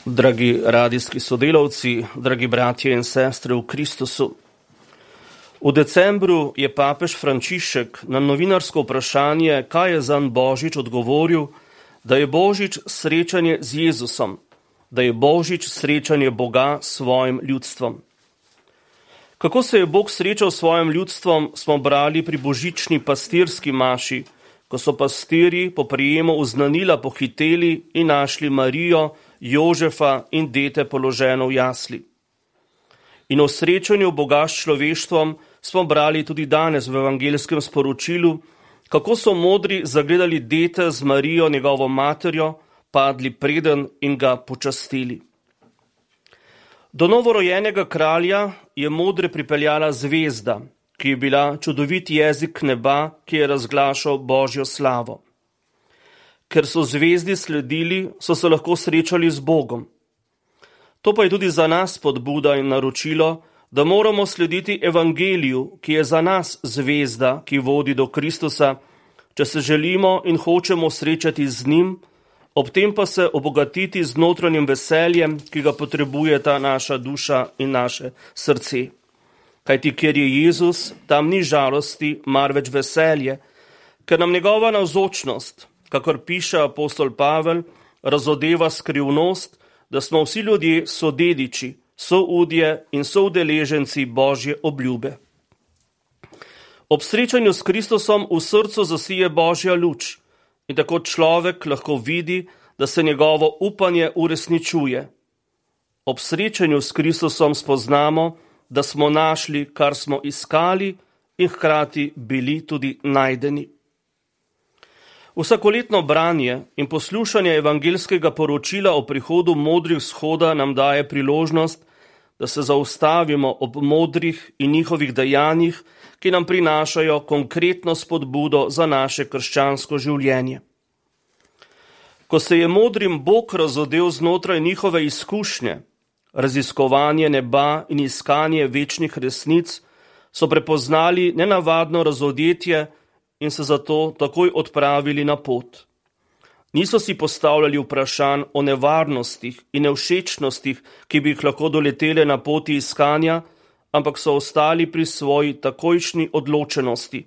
Dragi radijski sodelavci, dragi bratje in sestre v Kristusu. V decembru je papež Frančišek na novinarsko vprašanje, kaj je zanj Božič, odgovoril, da je Božič srečanje z Jezusom, da je Božič srečanje Boga s svojim ljudstvom. Kako se je Bog srečal s svojim ljudstvom, smo brali pri božični pastirski maši, ko so pastirji po prijemu uznanila pohiteli in našli Marijo, Jožefa in dete položeno v jasli. In o srečanju Boga s človeštvom smo brali tudi danes v evangelskem sporočilu, kako so modri zagledali dete z Marijo, njegovo materjo, padli preden in ga počastili. Do novorojenega kralja je modre pripeljala zvezda, ki je bila čudovit jezik neba, ki je razglašal Božjo slavo. Ker so zvezdi sledili, so se lahko srečali z Bogom. To pa je tudi za nas spodbuda in naročilo, da moramo slediti evangeliju, ki je za nas zvezda, ki vodi do Kristusa, če se želimo in hočemo srečati z njim, ob tem pa se obogatiti z notranjim veseljem, ki ga potrebujeta naša duša in naše srce. Kajti kjer je Jezus, tam ni žalosti, marveč veselje, ker nam njegova navzočnost, kakor piše apostol Pavel, razodeva skrivnost, da smo vsi ljudje sodediči, soudje in soudeleženci Božje obljube. Ob srečanju s Kristusom v srcu zasije Božja luč in tako človek lahko vidi, da se njegovo upanje uresničuje. Ob srečanju s Kristusom spoznamo, da smo našli, kar smo iskali in hkrati bili tudi najdeni. Vsakoletno branje in poslušanje evangelskega poročila o prihodu modrih vzhoda nam daje priložnost, da se zaustavimo ob modrih in njihovih dejanjih, ki nam prinašajo konkretno spodbudo za naše krščansko življenje. Ko se je modrim Bog razodel znotraj njihove izkušnje, raziskovanje neba in iskanje večnih resnic, so prepoznali nenavadno razodetje in se zato takoj odpravili na pot. Niso si postavljali vprašanj o nevarnostih in nevšečnostih, ki bi jih lahko doletele na poti iskanja, ampak so ostali pri svoji takojšnji odločenosti.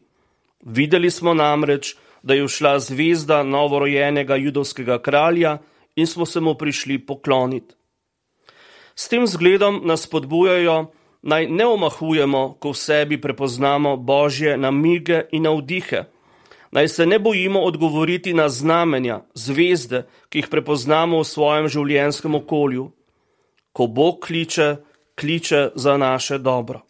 Videli smo namreč, da je všla zvezda novorojenega judovskega kralja in smo se mu prišli pokloniti. S tem zgledom nas spodbujajo, naj ne omahujemo, ko v sebi prepoznamo Božje namige in navdihe. Naj se ne bojimo odgovoriti na znamenja, zvezde, ki jih prepoznamo v svojem življenjskem okolju. Ko Bog kliče, kliče za naše dobro.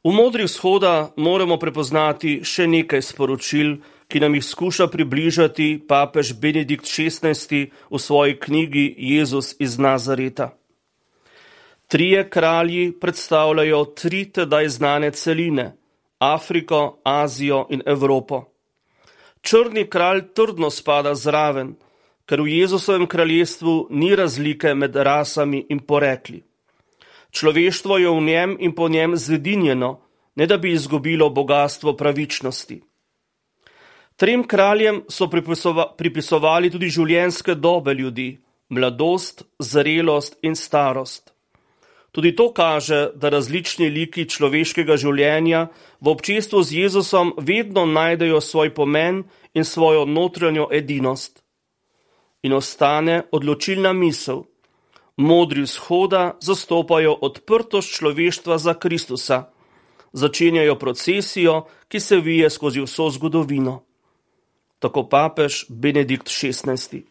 V modrih vzhoda moramo prepoznati še nekaj sporočil, ki nam jih skuša približati papež Benedikt XVI v svoji knjigi Jezus iz Nazareta. Trije kralji predstavljajo tri tedaj znane celine, Afriko, Azijo in Evropo. Črni kralj trdno spada zraven, ker v Jezusovem kraljestvu ni razlike med rasami in porekli. Človeštvo je v njem in po njem zedinjeno, ne da bi izgubilo bogastvo pravičnosti. Trem kraljem so pripisovali tudi življenjske dobe ljudi, mladost, zrelost in starost. Tudi to kaže, da različni liki človeškega življenja v občestvu z Jezusom vedno najdejo svoj pomen in svojo notranjo edinost. In ostane odločilna misel. Modri vzhoda zastopajo odprtost človeštva za Kristusa. Začenjajo procesijo, ki se vije skozi vso zgodovino. Tako papež Benedikt XVI.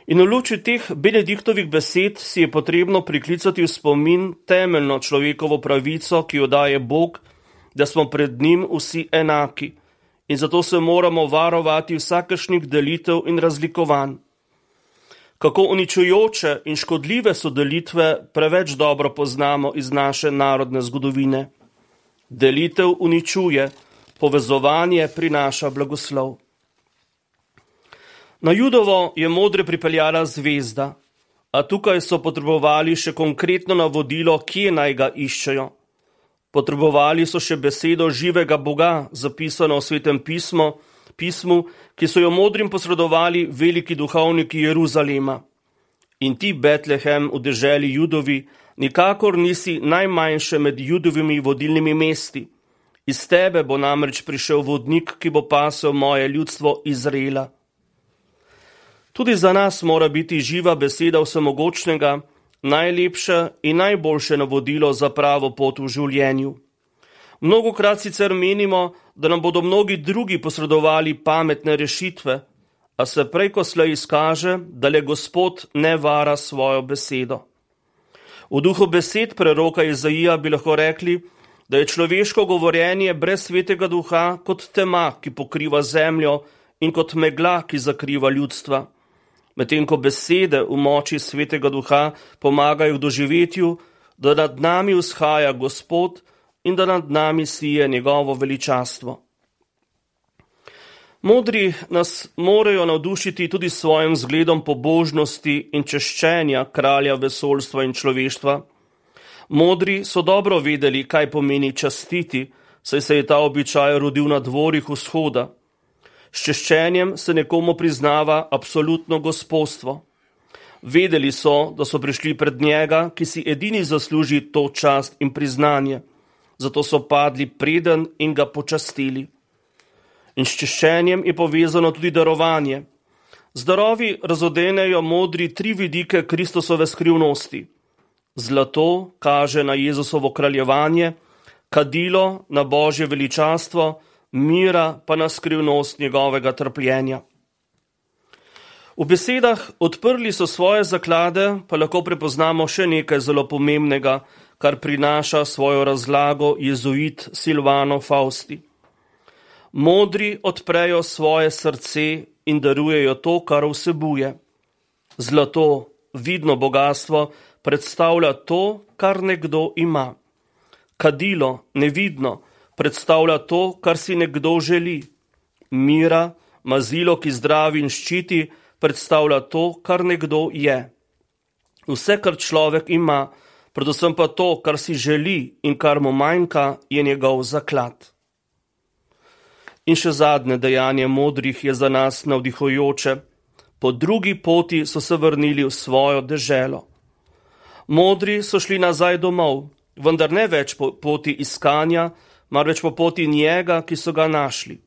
In v luči teh Benediktovih besed si je potrebno priklicati v spomin temeljno človekovo pravico, ki jo daje Bog, da smo pred njim vsi enaki in zato se moramo varovati vsakršnih delitev in razlikovanj. Kako uničujoče in škodljive so delitve, preveč dobro poznamo iz naše narodne zgodovine. Delitev uničuje, povezovanje prinaša blagoslov. Na Judovo je modre pripeljala zvezda, a tukaj so potrebovali še konkretno navodilo, kje naj ga iščejo. Potrebovali so še besedo živega Boga, zapisano v Svetem pismu, ki so jo modrim posredovali veliki duhovniki Jeruzalema. In ti, Betlehem, v deželi Judovi, nikakor nisi najmanjše med Judovimi vodilnimi mesti. Iz tebe bo namreč prišel vodnik, ki bo pasel moje ljudstvo Izraela. Tudi za nas mora biti živa beseda vsemogočnega najlepše in najboljše navodilo za pravo pot v življenju. Mnogokrat sicer menimo, da nam bodo mnogi drugi posredovali pametne rešitve, a se prej ko slej izkaže, da le Gospod ne vara svojo besedo. V duhu besed preroka Izaija bi lahko rekli, da je človeško govorjenje brez svetega duha kot tema, ki pokriva zemljo, in kot megla, ki zakriva ljudstva. Medtem ko besede v moči svetega duha pomagajo v doživetju, da nad nami vzhaja Gospod in da nad nami sije njegovo veličastvo. Modri nas morajo navdušiti tudi s svojim zgledom pobožnosti in češčenja kralja vesoljstva in človeštva. Modri so dobro vedeli, kaj pomeni častiti, saj se je ta običaj rodil na dvorih vzhoda. S češčenjem se nekomu priznava absolutno gospostvo. Vedeli so, da so prišli pred njega, ki si edini zasluži to čast in priznanje. Zato so padli preden in ga počastili. In s češčenjem je povezano tudi darovanje. Z darovi razodenejo modri 3 vidike Kristusove skrivnosti. Zlato kaže na Jezusovo kraljevanje, kadilo na Božje veličastvo, mira pa na skrivnost njegovega trpljenja. V besedah odprli so svoje zaklade, pa lahko prepoznamo še nekaj zelo pomembnega, kar prinaša svojo razlago jezuit Silvano Fausti. Modri odprejo svoje srce in darujejo to, kar vsebuje. Zlato, vidno bogatstvo, predstavlja to, kar nekdo ima. Kadilo, nevidno, predstavlja to, kar si nekdo želi. Mira, mazilo, ki zdravi in ščiti, predstavlja to, kar nekdo je. Vse, kar človek ima, predvsem pa to, kar si želi in kar mu manjka, je njegov zaklad. In še zadnje dejanje modrih je za nas navdihujoče. Po drugi poti so se vrnili v svojo deželo. Modri so šli nazaj domov, vendar ne več po poti iskanja, marveč po poti njega, ki so ga našli.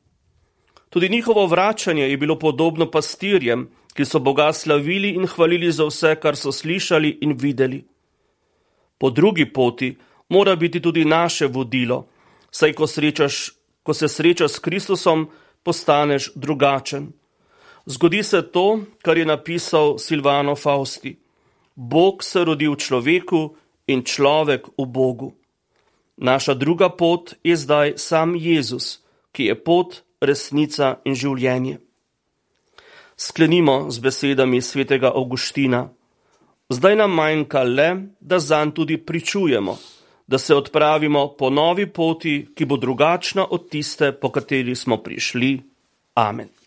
Tudi njihovo vračanje je bilo podobno pastirjem, ki so Boga slavili in hvalili za vse, kar so slišali in videli. Po drugi poti mora biti tudi naše vodilo, saj ko se srečaš s Kristusom, postaneš drugačen. Zgodi se to, kar je napisal Silvano Fausti. Bog se rodi v človeku in človek v Bogu. Naša druga pot je zdaj sam Jezus, ki je pot, resnica in življenje. Sklenimo z besedami svetega Avguština. Zdaj nam manjka le, da zanj tudi pričujemo, da se odpravimo po novi poti, ki bo drugačna od tiste, po kateri smo prišli. Amen.